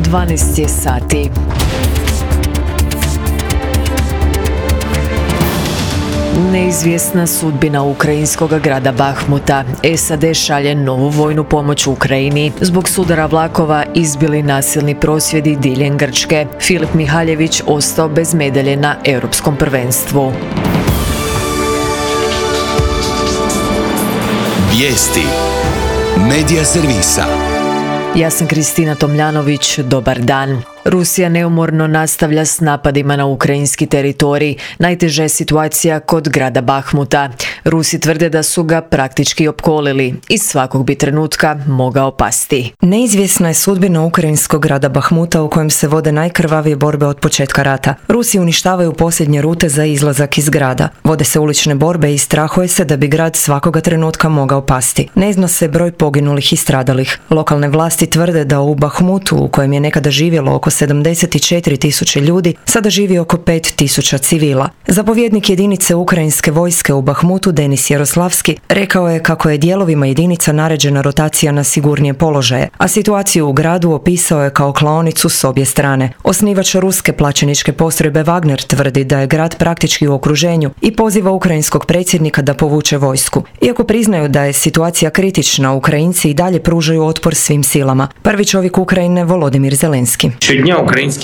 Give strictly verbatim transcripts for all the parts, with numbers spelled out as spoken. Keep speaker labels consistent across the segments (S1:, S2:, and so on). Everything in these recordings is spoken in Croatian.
S1: dvanaest je sati. Neizvjesna sudbina ukrajinskog grada Bahmuta. S A D šalje novu vojnu pomoć Ukrajini. Zbog sudara vlakova izbili nasilni prosvjedi diljem Grčke. Filip Mihaljević ostao bez medalje na europskom prvenstvu.
S2: Vijesti Medija servisa.
S1: Ja sam Kristina Tomljanović, dobar dan. Rusija neumorno nastavlja s napadima na ukrajinski teritorij. Najteža je situacija kod grada Bahmuta. Rusi tvrde da su ga praktički opkolili i svakog bi trenutka mogao pasti.
S3: Neizvjesna je sudbina ukrajinskog grada Bahmuta u kojem se vode najkrvavije borbe od početka rata. Rusi uništavaju posljednje rute za izlazak iz grada. Vode se ulične borbe i strahuje se da bi grad svakoga trenutka mogao pasti. Ne zna se broj poginulih i stradalih. Lokalne vlasti tvrde da u Bahmutu, u kojem je nekada živjelo oko sedamdeset četiri tisuće ljudi, sada živi oko pet tisuća civila. Zapovjednik jedinice ukrajinske vojske u Bahmutu, Denis Jaroslavski, rekao je kako je dijelovima jedinica naređena rotacija na sigurnije položaje, a situaciju u gradu opisao je kao klaonicu s obje strane. Osnivač ruske plaćeničke postrojbe Wagner tvrdi da je grad praktički u okruženju i poziva ukrajinskog predsjednika da povuče vojsku. Iako priznaju da je situacija kritična, Ukrajinci i dalje pružaju otpor svim silama. Prvi čovjek Ukrajine, Volodimir Zelenski.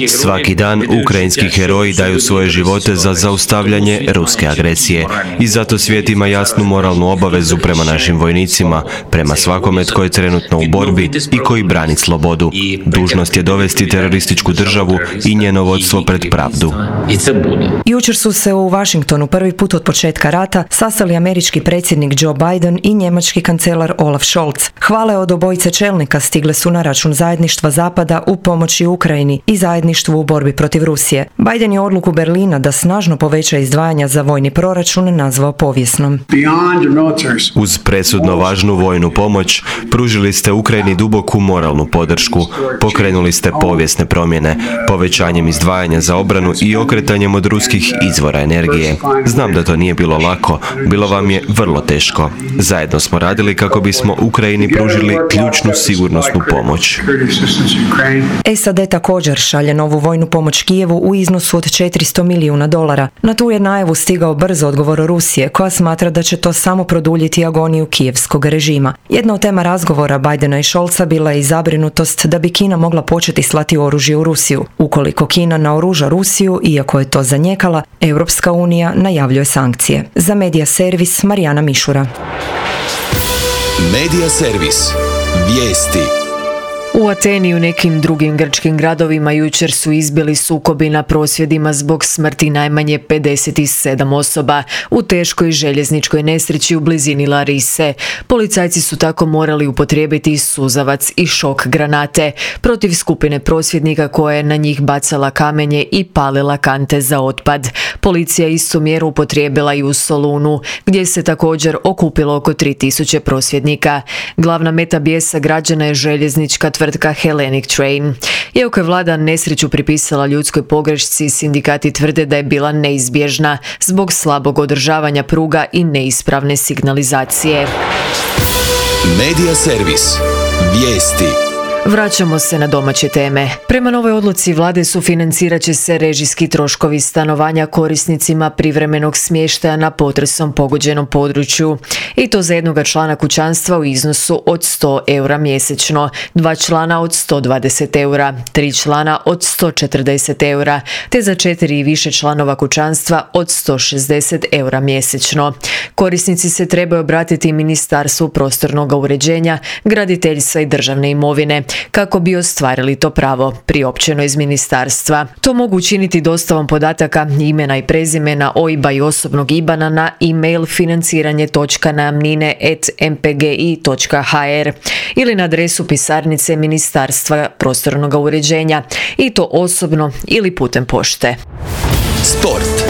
S4: Svaki dan ukrajinski heroji daju svoje živote za zaustavljanje ruske agresije i zato svijet ima jasnu moralnu obavezu prema našim vojnicima, prema svakome tko je trenutno u borbi i koji brani slobodu. Dužnost je dovesti terorističku državu i njeno vodstvo pred pravdu.
S3: Jučer su se u Washingtonu prvi put od početka rata sastali američki predsjednik Joe Biden i njemački kancelar Olaf Scholz. Hvale od obojice čelnika stigle su na račun zajedništva Zapada u pomoći Ukrajini i zajedništvu u borbi protiv Rusije. Biden je odluku Berlina da snažno poveća izdvajanja za vojni proračun nazvao povijesnom.
S4: Uz presudno važnu vojnu pomoć, pružili ste Ukrajini duboku moralnu podršku, pokrenuli ste povijesne promjene, povećanjem izdvajanja za obranu i okretanjem od ruskih izvora energije. Znam da to nije bilo lako, bilo vam je vrlo teško. Zajedno smo radili kako bismo Ukrajini pružili ključnu sigurnosnu pomoć.
S3: S A D također šalje novu vojnu pomoć Kijevu u iznosu od četiristo milijuna dolara. Na tu je najavu stigao brzo odgovor Rusije, koja smatra da će to samo produljiti agoniju kijevskog režima. Jedna od tema razgovora Bidena i Scholza bila je i zabrinutost da bi Kina mogla početi slati oružje u Rusiju. Ukoliko Kina naoruža Rusiju, iako je to zanijekala, Europska unija najavljuje sankcije. Za Medija servis Marijana Mišura.
S2: Medija servis. Vijesti.
S1: U Ateni i u nekim drugim grčkim gradovima jučer su izbili sukobi na prosvjedima zbog smrti najmanje pedeset sedam osoba u teškoj željezničkoj nesreći u blizini Larise. Policajci su tako morali upotrijebiti suzavac i šok granate protiv skupine prosvjednika koja je na njih bacala kamenje i palila kante za otpad. Policija istu mjeru upotrijebila i u Solunu, gdje se također okupilo oko tri tisuće prosvjednika. Glavna meta bijesa građana je željeznička tvrtka Hellenic Train. Iako je vlada nesreću pripisala ljudskoj pogrešci, sindikati tvrde da je bila neizbježna zbog slabog održavanja pruga i neispravne signalizacije.
S2: Medija servis. Vijesti.
S1: Vraćamo se na domaće teme. Prema novoj odluci vlade sufinancirat će se režijski troškovi stanovanja korisnicima privremenog smještaja na potresom pogođenom području. I to za jednoga člana kućanstva u iznosu od sto eura mjesečno, dva člana od sto dvadeset eura, tri člana od sto četrdeset eura, te za četiri i više članova kućanstva od sto šezdeset eura mjesečno. Korisnici se trebaju obratiti Ministarstvu prostornog uređenja, graditeljstva i državne imovine kako bi ostvarili to pravo, priopćeno iz ministarstva. To mogu učiniti dostavom podataka, imena i prezimena, O I B-a i osobnog I B A N-a na e-mail financiranje točka najamnine at m p g i točka h r ili na adresu pisarnice Ministarstva prostornog uređenja, i to osobno ili putem pošte.
S2: Sport.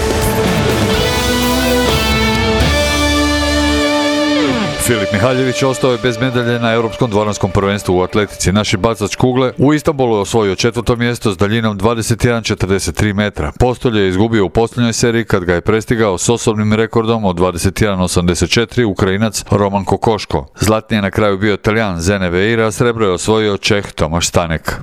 S5: Filip Mihaljević ostao je bez medalje na europskom dvoranskom prvenstvu u atletici. Naši bacač kugle u Istanbulu je osvojio četvrto mjesto s daljinom dvadeset jedan zarez četrdeset tri metra. Postolje je izgubio u posljednjoj seriji kad ga je prestigao s osobnim rekordom od dvadeset jedan zarez osamdeset četiri Ukrajinac Roman Kokoško. Zlatni je na kraju bio Talijan Zene Veira, a srebro je osvojio Čeh Tomaš Stanek.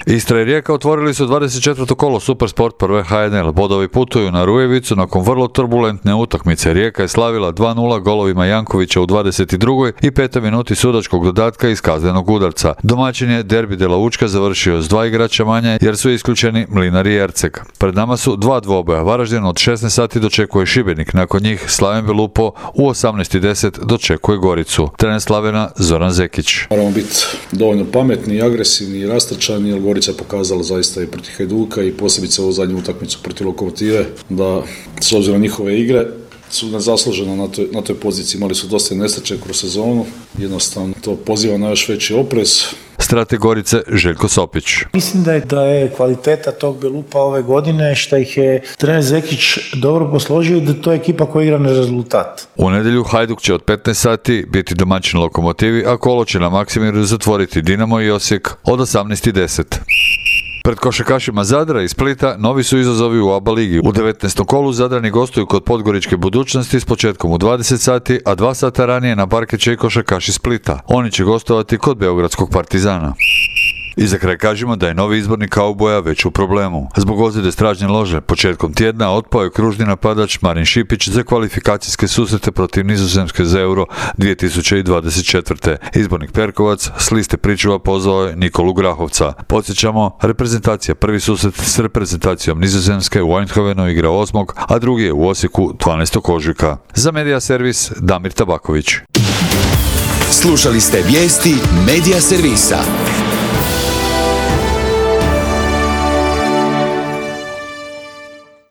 S5: Istra i Rijeka otvorili su dvadeset četvrto kolo Supersport prve H N L. Bodovi putuju na Rujevicu nakon vrlo turbulentne utakmice. Rijeka je slavila dva nula golovima Jankovića u dvadeset drugoj i petoj minuti sudačkog dodatka iz kaznenog udarca. Domaćin je Derbi de la Učka završio s dva igrača manje jer su isključeni Mlinar i Erceg. Pred nama su dva dvoboja. Varaždin od šesnaest sati dočekuje Šibenik. Nakon njih Slaven Belupo u osamnaest i deset dočekuje Goricu. Trener Slavena Zoran Zekić.
S6: Moramo biti dovoljno pametni i agresivni i rastrčani, jer Gorica je pokazala zaista i protiv Hajduka i posebice ovu zadnju utakmicu protiv Lokomotive da s obzirom na njihove igre su nezasluženo na toj, na toj poziciji. Imali su dosta nesreće kroz sezonu, jednostavno to poziva na još veći oprez.
S5: Strateg Gorice Željko Sopić.
S7: Mislim da je, da je kvaliteta tog Belupa ove godine što ih je trener Zekić dobro posložio i da to je ekipa koja igra na rezultat.
S5: U nedjelju Hajduk će od petnaest sati biti domaćin Lokomotivi, a kolo će na Maksimiru zatvoriti Dinamo i Osijek od osamnaest i deset. Pred košarkašima Zadra i Splita novi su izazovi u A B A ligi. U devetnaestom kolu Zadrani gostuju kod Podgoričke Budućnosti s početkom u dvadeset sati, a dva sata ranije na parket će i košarkaši Splita. Oni će gostovati kod Beogradskog Partizana. I za kraj kažemo da je novi izbornik kauboja već u problemu. Zbog ozljede stražnje lože početkom tjedna otpao je kružni napadač Marin Šipić za kvalifikacijske susrete protiv Nizozemske za Euro dvije tisuće dvadeset četvrte. Izbornik Perkovac s liste pričuva pozvao je Nikolu Grahovca. Podsjećamo, reprezentacija prvi susret s reprezentacijom Nizozemske u Eindhovenu igra osmog, a drugi je u Osijeku dvanaestog ožujka. Za Medija servis Damir Tabaković.
S2: Slušali ste vijesti Medija servisa.